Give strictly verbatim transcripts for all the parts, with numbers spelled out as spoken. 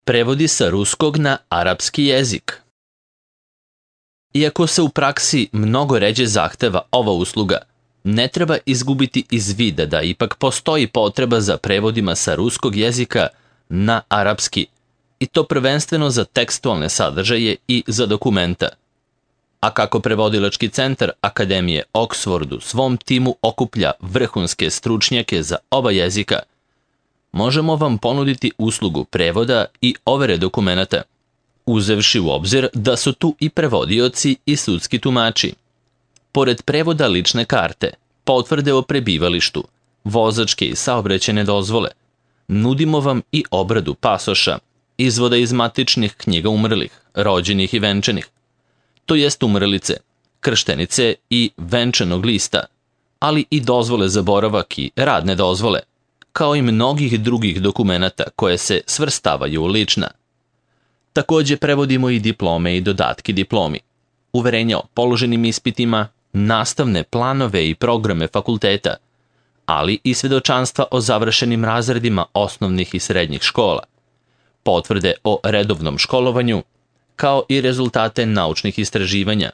Prevodi sa ruskog na arapski jezik. Iako se u praksi mnogo ređe zahteva ova usluga, ne treba izgubiti iz vida da ipak postoji potreba za prevodima sa ruskog jezika na arapski, i to prvenstveno za tekstualne sadržaje i za dokumenta. A kako prevodilački centar Akademije Oxford u svom timu okuplja vrhunske stručnjake za oba jezika, možemo vam ponuditi uslugu prevoda i overe dokumenata, uzevši u obzir da su tu i prevodioci i sudski tumači. Pored prevoda lične karte, potvrde o prebivalištu, vozačke i saobraćajne dozvole, nudimo vam i obradu pasoša, izvoda iz matičnih knjiga umrlih, rođenih i venčanih, to jest umrlice, krštenice i venčanog lista, ali i dozvole za boravak i radne dozvole, kao i mnogih drugih dokumenata koje se svrstavaju u lična. Takođe prevodimo i diplome i dodatki diplomi, uverenja o položenim ispitima, nastavne planove i programe fakulteta, ali i svedočanstva o završenim razredima osnovnih i srednjih škola, potvrde o redovnom školovanju, kao i rezultate naučnih istraživanja,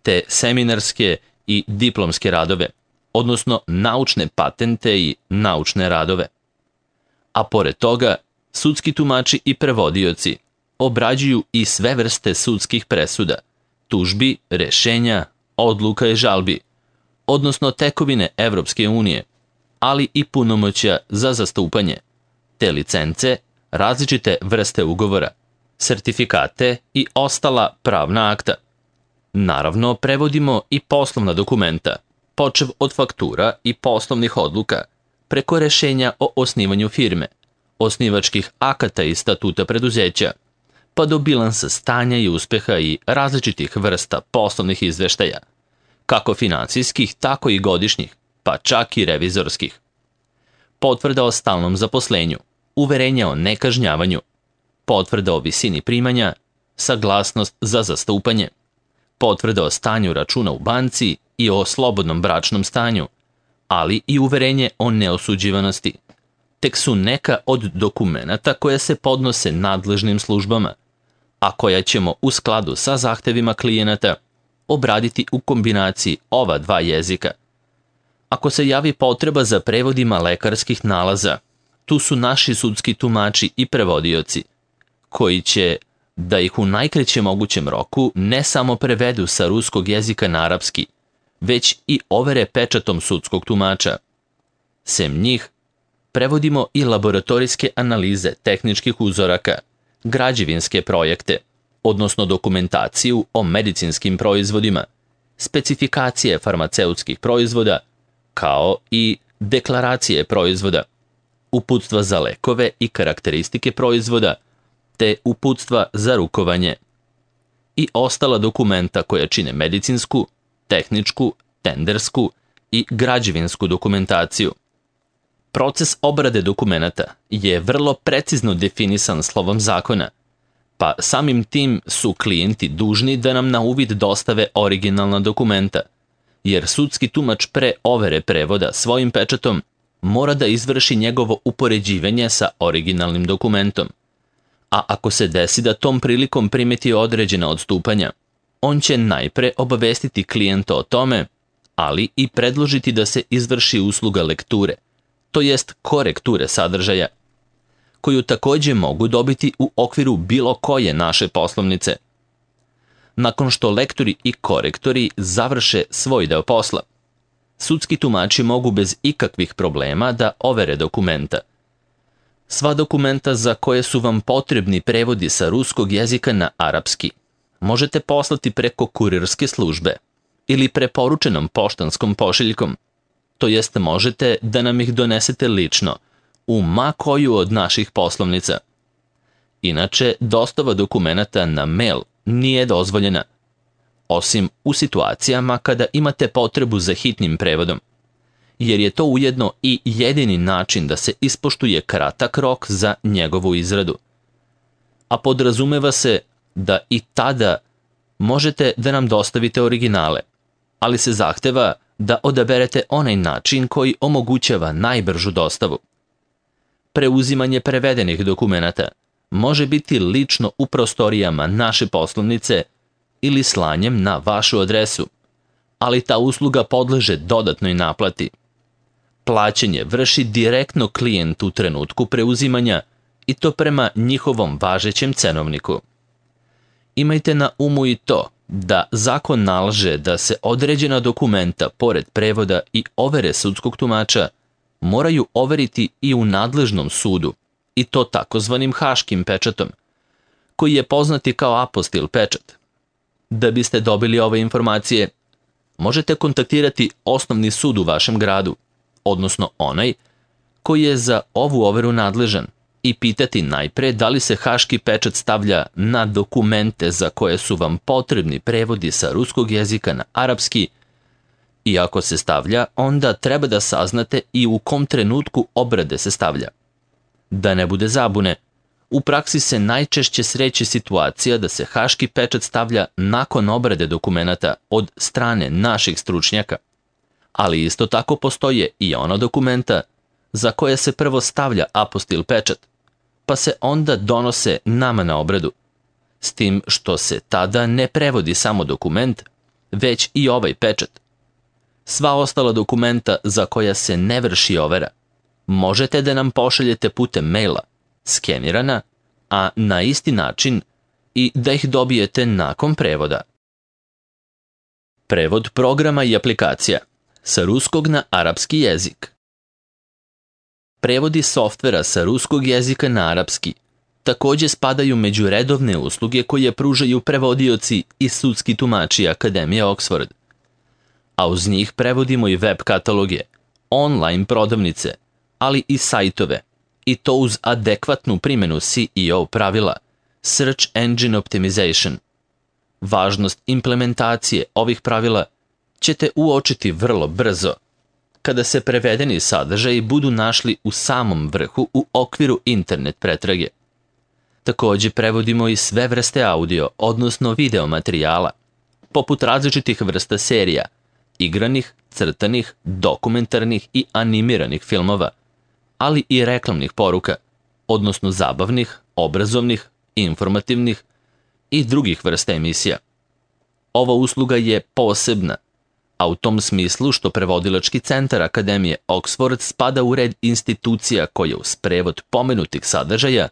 te seminarske i diplomske radove, odnosno naučne patente i naučne radove. A pored toga, sudski tumači i prevodioci obrađuju i sve vrste sudskih presuda, tužbi, rešenja, odluka i žalbi, odnosno tekovine Evropske unije, ali i punomoćja za zastupanje, te licence, različite vrste ugovora, sertifikate i ostala pravna akta. Naravno, prevodimo i poslovna dokumenta, počev od faktura i poslovnih odluka, preko rešenja o osnivanju firme, osnivačkih akata i statuta preduzeća, pa do bilansa stanja i uspeha i različitih vrsta poslovnih izveštaja, kako finansijskih, tako i godišnjih, pa čak i revizorskih. Potvrda o stalnom zaposlenju, uverenja o nekažnjavanju, potvrda o visini primanja, saglasnost za zastupanje, potvrda o stanju računa u banci i o slobodnom bračnom stanju, ali i uverenje o neosuđivanosti, tek su neka od dokumenata koje se podnose nadležnim službama, a koja ćemo u skladu sa zahtevima klijenata obraditi u kombinaciji ova dva jezika. Ako se javi potreba za prevodima lekarskih nalaza, tu su naši sudski tumači i prevodioci, koji će, da ih u najkraćem mogućem roku, ne samo prevedu sa ruskog jezika na arapski, već i overe pečatom sudskog tumača. Sem njih, prevodimo i laboratorijske analize tehničkih uzoraka, građevinske projekte, odnosno dokumentaciju o medicinskim proizvodima, specifikacije farmaceutskih proizvoda, kao i deklaracije proizvoda, uputstva za lekove i karakteristike proizvoda, te uputstva za rukovanje i ostala dokumenta koja čine medicinsku, tehničku, tendersku i građevinsku dokumentaciju. Proces obrade dokumenata je vrlo precizno definisan slovom zakona, pa samim tim su klijenti dužni da nam na uvid dostave originalna dokumenta, jer sudski tumač pre overe prevoda svojim pečatom mora da izvrši njegovo upoređivanje sa originalnim dokumentom. A ako se desi da tom prilikom primeti određena odstupanja, on će najpre obavestiti klijenta o tome, ali i predložiti da se izvrši usluga lekture, to jest korekture sadržaja, koju takođe mogu dobiti u okviru bilo koje naše poslovnice. Nakon što lektori i korektori završe svoj deo posla, sudski tumači mogu bez ikakvih problema da overe dokumenta. Sva dokumenta za koje su vam potrebni prevodi sa ruskog jezika na arapski možete poslati preko kurirske službe ili preporučenom poštanskom pošiljkom, to jest možete da nam ih donesete lično u ma koju od naših poslovnica. Inače, dostava dokumenata na mail nije dozvoljena, osim u situacijama kada imate potrebu za hitnim prevodom, jer je to ujedno i jedini način da se ispoštuje kratak rok za njegovu izradu. A podrazumeva se da i tada možete da nam dostavite originale, ali se zahteva da odaberete onaj način koji omogućava najbržu dostavu. Preuzimanje prevedenih dokumenata može biti lično u prostorijama naše poslovnice ili slanjem na vašu adresu, ali ta usluga podleže dodatnoj naplati. Plaćanje vrši direktno klijent u trenutku preuzimanja i to prema njihovom važećem cenovniku. Imajte na umu i to da zakon nalaže da se određena dokumenta, pored prevoda i overe sudskog tumača, moraju overiti i u nadležnom sudu, i to takozvanim haškim pečatom, koji je poznati kao apostil pečat. Da biste dobili ove informacije, možete kontaktirati osnovni sud u vašem gradu, odnosno onaj koji je za ovu overu nadležan, i pitati najpre da li se haški pečat stavlja na dokumente za koje su vam potrebni prevodi sa ruskog jezika na arapski, i ako se stavlja, onda treba da saznate i u kom trenutku obrade se stavlja. Da ne bude zabune, u praksi se najčešće sreće situacija da se haški pečat stavlja nakon obrade dokumenata od strane naših stručnjaka, ali isto tako postoje i ona dokumenta za koje se prvo stavlja apostil pečat, pa se onda donose nama na obradu, s tim što se tada ne prevodi samo dokument, već i ovaj pečat. Sva ostala dokumenta za koja se ne vrši overa, možete da nam pošaljete putem maila, skenirana, a na isti način i da ih dobijete nakon prevoda. Prevod programa i aplikacija sa ruskog na arapski jezik. Prevodi softvera sa ruskog jezika na arapski takođe spadaju među redovne usluge koje pružaju prevodioci i sudski tumači Akademije Oxford. A uz njih prevodimo i web kataloge, online prodavnice, ali i sajtove, i to uz adekvatnu primjenu S E O pravila, Search Engine Optimization. Važnost implementacije ovih pravila ćete uočiti vrlo brzo, kada se prevedeni sadržaji budu našli u samom vrhu u okviru internet pretrage. Takođe prevodimo i sve vrste audio, odnosno video materijala, poput različitih vrsta serija, igranih, crtanih, dokumentarnih i animiranih filmova, ali i reklamnih poruka, odnosno zabavnih, obrazovnih, informativnih i drugih vrsta emisija. Ova usluga je posebna, a u tom smislu što prevodilački centar Akademije Oxford spada u red institucija koje uz prevod pomenutih sadržaja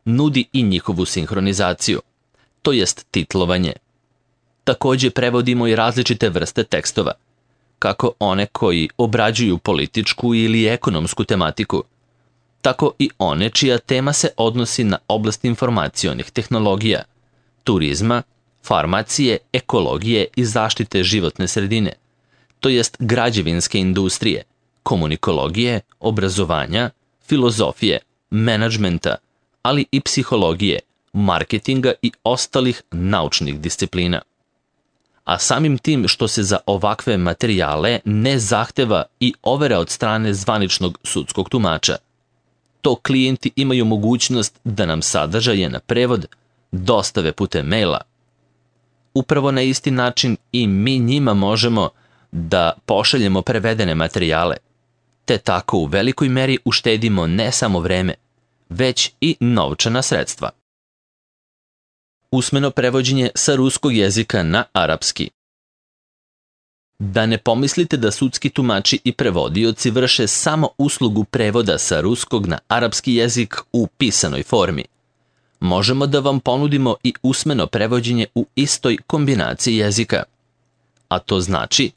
nudi i njihovu sinhronizaciju, to jest titlovanje. Takođe prevodimo i različite vrste tekstova, kako one koji obrađuju političku ili ekonomsku tematiku, tako i one čija tema se odnosi na oblast informacionih tehnologija, turizma, farmacije, ekologije i zaštite životne sredine, to jest građevinske industrije, komunikologije, obrazovanja, filozofije, menadžmenta, ali i psihologije, marketinga i ostalih naučnih disciplina. A samim tim što se za ovakve materijale ne zahteva i overa od strane zvaničnog sudskog tumača, to klijenti imaju mogućnost da nam sadržaje na prevod dostave putem maila. Upravo na isti način i mi njima možemo da pošaljemo prevedene materijale, te tako u velikoj meri uštedimo ne samo vreme, već i novčana sredstva. Usmeno prevođenje sa ruskog jezika na arapski. Da ne pomislite da sudski tumači i prevodioci vrše samo uslugu prevoda sa ruskog na arapski jezik u pisanoj formi. Možemo da vam ponudimo i usmeno prevođenje u istoj kombinaciji jezika. A to znači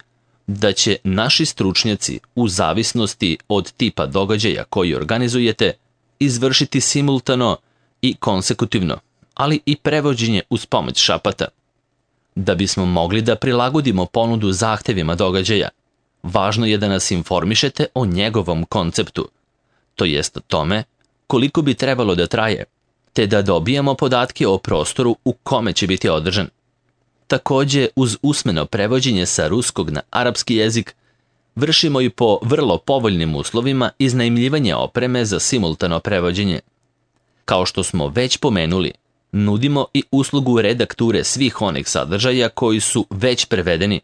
da će naši stručnjaci, u zavisnosti od tipa događaja koji organizujete, izvršiti simultano i konsekutivno, ali i prevođenje uz pomoć šapata. Da bismo mogli da prilagodimo ponudu zahtevima događaja, važno je da nas informišete o njegovom konceptu, to jest o tome koliko bi trebalo da traje, te da dobijemo podatke o prostoru u kome će biti održan. Takođe, uz usmeno prevođenje sa ruskog na arapski jezik, vršimo i po vrlo povoljnim uslovima iznajmljivanje opreme za simultano prevođenje. Kao što smo već pomenuli, nudimo i uslugu redakture svih onih sadržaja koji su već prevedeni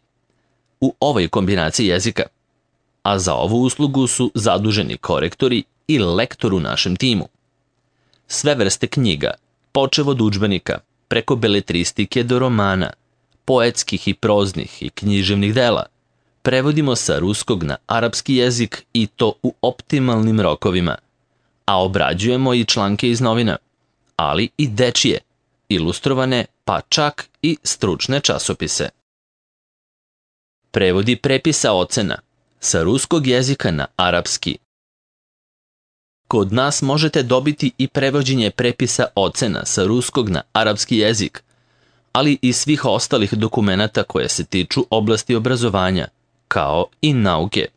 u ovoj kombinaciji jezika, a za ovu uslugu su zaduženi korektori i lektor u našem timu. sve vrste knjiga, počev od udžbenika, preko beletristike do romana, poetskih i proznih i književnih dela, prevodimo sa ruskog na arapski jezik i to u optimalnim rokovima, a obrađujemo i članke iz novina, ali i dečije, ilustrovane, pa čak i stručne časopise. Prevodi prepisa ocena sa ruskog jezika na arapski. Kod nas možete dobiti i prevođenje prepisa ocena sa ruskog na arapski jezik, ali i svih ostalih dokumenata koje se tiču oblasti obrazovanja, kao i nauke.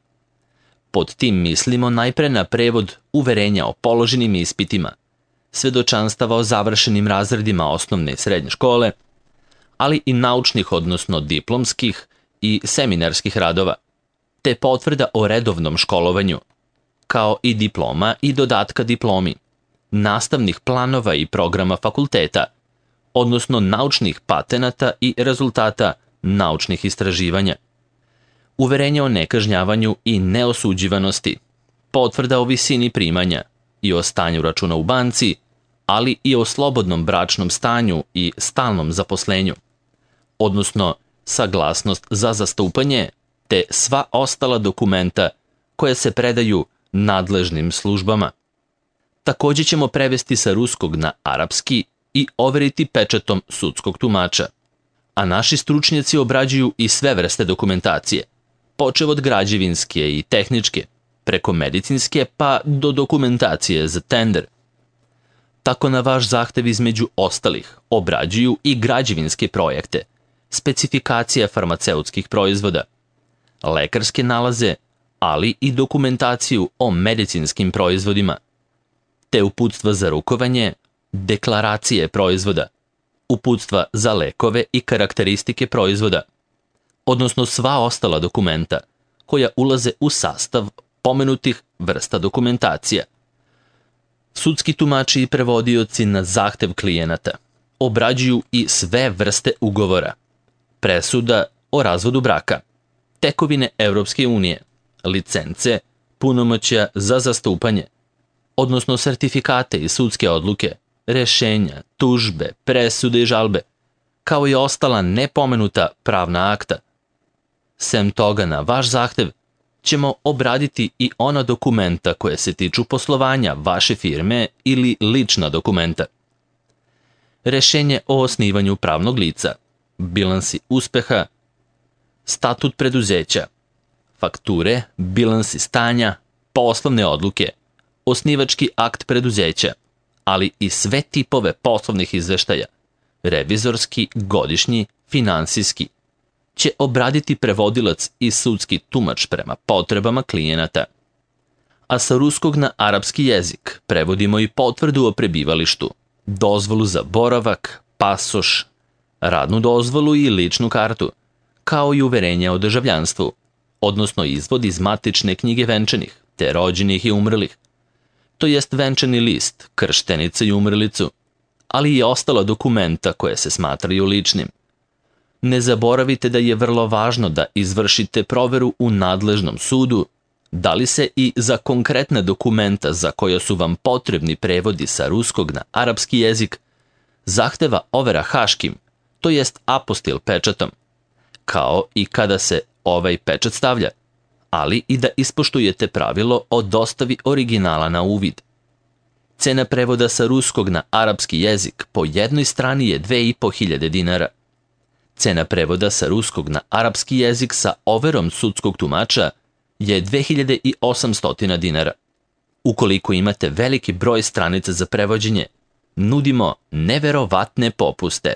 Pod tim mislimo najpre na prevod uverenja o položenim ispitima, svedočanstava o završenim razredima osnovne i srednje škole, ali i naučnih, odnosno diplomskih i seminarskih radova, te potvrda o redovnom školovanju, kao i diploma i dodatka diplomi, nastavnih planova i programa fakulteta, odnosno naučnih patenata i rezultata naučnih istraživanja, uverenje o nekažnjavanju i neosuđivanosti, potvrda o visini primanja i o stanju računa u banci, ali i o slobodnom bračnom stanju i stalnom zaposlenju, odnosno saglasnost za zastupanje, te sva ostala dokumenta koje se predaju nadležnim službama. Također ćemo prevesti sa ruskog na arapski i overiti pečatom sudskog tumača, a naši stručnjaci obrađuju i sve vrste dokumentacije, počev od građevinske i tehničke, preko medicinske pa do dokumentacije za tender. Tako na vaš zahtev između ostalih obrađuju i građevinske projekte, specifikacija farmaceutskih proizvoda, lekarske nalaze, ali i dokumentaciju o medicinskim proizvodima, te uputstva za rukovanje, deklaracije proizvoda, uputstva za lekove i karakteristike proizvoda, odnosno sva ostala dokumenta koja ulaze u sastav pomenutih vrsta dokumentacija. Sudski tumači i prevodioci na zahtev klijenata obrađuju i sve vrste ugovora, presuda o razvodu braka, tekovine Evropske unije, licence, punomoćja za zastupanje, odnosno sertifikate i sudske odluke, rešenja, tužbe, presude i žalbe, kao i ostala nepomenuta pravna akta. Sem toga, na vaš zahtev ćemo obraditi i ona dokumenta koje se tiču poslovanja vaše firme ili lična dokumenta. Rešenje o osnivanju pravnog lica, bilansi uspeha, statut preduzeća, fakture, bilansi stanja, poslovne odluke, osnivački akt preduzeća, ali i sve tipove poslovnih izveštaja, revizorski, godišnji, finansijski, će obraditi prevodilac i sudski tumač prema potrebama klijenata. A sa ruskog na arapski jezik prevodimo i potvrdu o prebivalištu, dozvolu za boravak, pasoš, radnu dozvolu i ličnu kartu, kao i uverenje o državljanstvu, odnosno izvod iz matične knjige venčanih, te rođenih i umrlih, to jest venčani list, krštenicu i umrlicu, ali i ostala dokumenta koje se smatraju ličnim. Ne zaboravite da je vrlo važno da izvršite proveru u nadležnom sudu, da li se i za konkretne dokumenta za koja su vam potrebni prevodi sa ruskog na arapski jezik zahteva overa haškim, to jest apostil pečatom, kao i kada se ovaj pečat stavlja, ali i da ispoštujete pravilo o dostavi originala na uvid. Cena prevoda sa ruskog na arapski jezik po jednoj strani je dve i po hiljade dinara. Cena prevoda sa ruskog na arapski jezik sa overom sudskog tumača je dve hiljade osamsto dinara. Ukoliko imate veliki broj stranica za prevođenje, nudimo neverovatne popuste.